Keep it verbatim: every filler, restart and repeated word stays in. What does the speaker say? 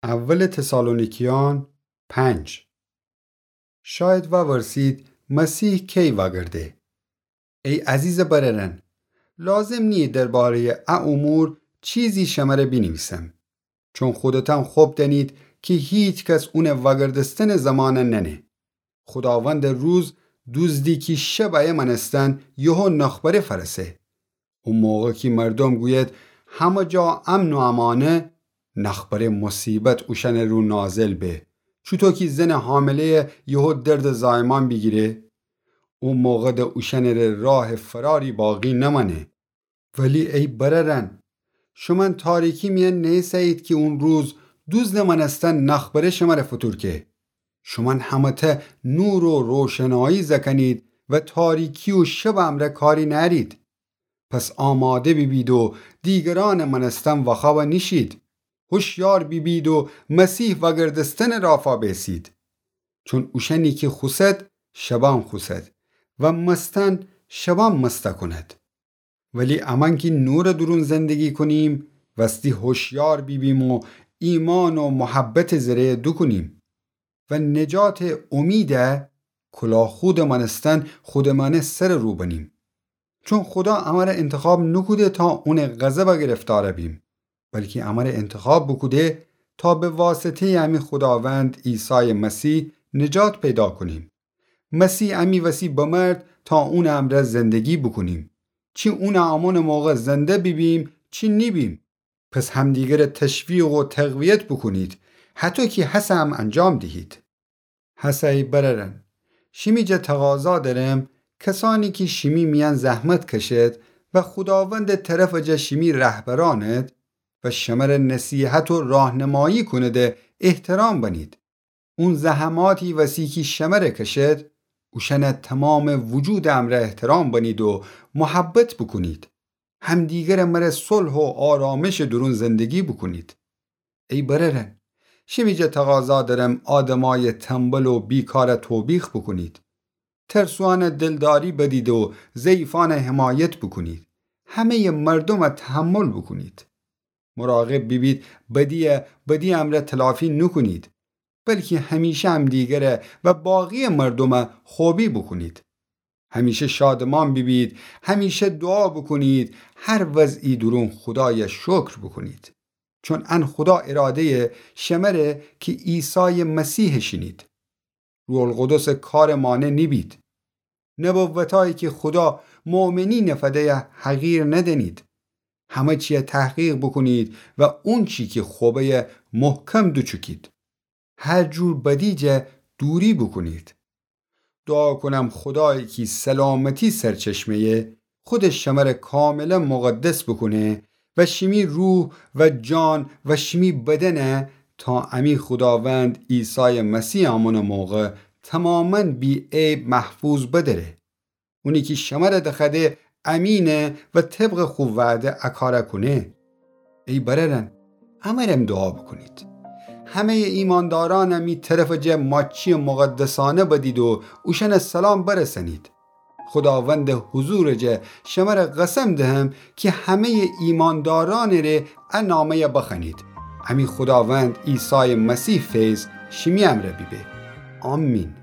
اول تسالونیکیان پنج. شاید وورسید، مسیح کی وأگرده؟ ای عزیزٚ برأرأن، لازم نییه درباره‌یٚ ا امور چیزی شمره بینیویسم، چون خودتأن خب دأنید کی هیکس اونٚ وأگردستنٚ زمان نأنه. خوداوندٚ روز دوزدی کی شب ایه مأنستن یهو نخبره فأرسه. او موقع کی مردوم گوید همه جا امن و امانه، نخبره مصیبت اوشأنٚ رو نازل به، چوطو کی زنٚ حامله‌یٚ یهو دردٚ زایمان بیگیره. او موقع د اوشأنٚ ره راهٚ فراری باقی نمأنه. ولی ای برأرأن، شومأن تاریکی میأن نه‌ایسه‌یید کی اون روز دوزدٚ مأنستن نخبره شمره فوتورکه. شومأن همه‌تأ نور و روشنایی زأکأنید و تاریکی و شبٚ امرأ کاری نأرید. پس آماده بیبید و دیگرانٚ مأنستن واخوأب نیشید. هوشیار بیبید و مسیح وأگردستنٚ رافا بیسید. چون اوشأنی کی خوسد، شبان خوسد و مستن شبان مست کند. ولی امأن کی نورٚ دورون زندگی کونیم، وستی هوشیار بیبیم و ایمان و محبتٚ زره دوکونیم و نجاتٚ امید کلاهخودٚ مأنستن خودٚ مأنه سرٚ رو بنیم. چون خودا امره انتخاب نوکوده تا اونٚ غضب گرفتار بیم، بلکی امره انتخاب بوکوده تا به واسطه‌یٚ امی خوداوند عیسایٚ مسیح نجات پیدا کونیم. مسیح امی وسی بمرد تا اونٚ امرأ زندگی بوکونیم، چی اونٚ آمونٚ موقع زنده بیبیم چی نیبیم. پس همدیگره تشویق و تقویت بوکونید، هطو کی هسه ام انجام دیهید. هسه ای برأرأن، شیمی جا تقاضا درم، کسأنی کی شیمی میأن زحمت کشد و خوداوندٚ طرفٚ جا شیمی رهبرأند و شمره نصیحت و راهنمایی کونده احترام بنید. اون زحماتی وسی کی شمره کشد، اوشأنه تومامٚ وجودٚ امرأ احترام بنید و محبت بوکونید. همدیگره مره صلح و آرامشٚ دورون زندگی بوکونید. ای برأرأن، شیمی جا تقاضا درم آدمأیٚ تنبل و بیکاره توبیخ بوکونید. ترسوأنه دلداری بدید و ضعیفأنه حمایت بوکونید. همه‌یٚ مردومه تحمل بوکونید. مراقب بیبید بدیه بدی امرأ تلافی نوکونید، بلکی همیشه همدیگره و باقی‌یٚ مردومه خوبی بوکونید. همیشه شادمان بیبید، همیشه دوعا بوکونید، هر وضعی دورون خودایه شکر بوکونید. چون ان خودا اراده‌یه شمره کی عیسایٚ مسیحٚ شینید. روح‌القدسٚ کارٚ مانع نیبید. نبوتأیی کی خودا مؤمنی نفده‌یه حقیر ندأنید. همه چیه تحقیق بوکونید و اونچی کی خوبه‌یه محکم دوچوکید. هر جور بدی جا دوری بوکونید. دوعا کونم خودایی کی سلامتی سرچشمه‌یه، خودٚ شمره کاملا مقدس بوکونه و شیمی روح و جان و شیمی بدنه تا امی خوداوند عیسایٚ مسیح آمونٚ موقع توماما بی‌عیب محفوظ بدأره. اونی کی شمره دخوأده امینه و طبقٚ خو وعده ا کاره کونه. ای برأرأن، امرم دوعا بوکونید. همه‌یٚ ایماندارأنه می طرفٚ جا ماچی مقدسأنه بدید و اوشأنه سلام برسأنید. خوداوندٚ حضورٚ جا شمره قسم دهم کی همه‌یٚ ایماندارأنٚ ره ا نامه‌یه بخوأنید. امی خوداوند عیسایٚ مسیح فیض شیمی امرأ بیبه. آمین.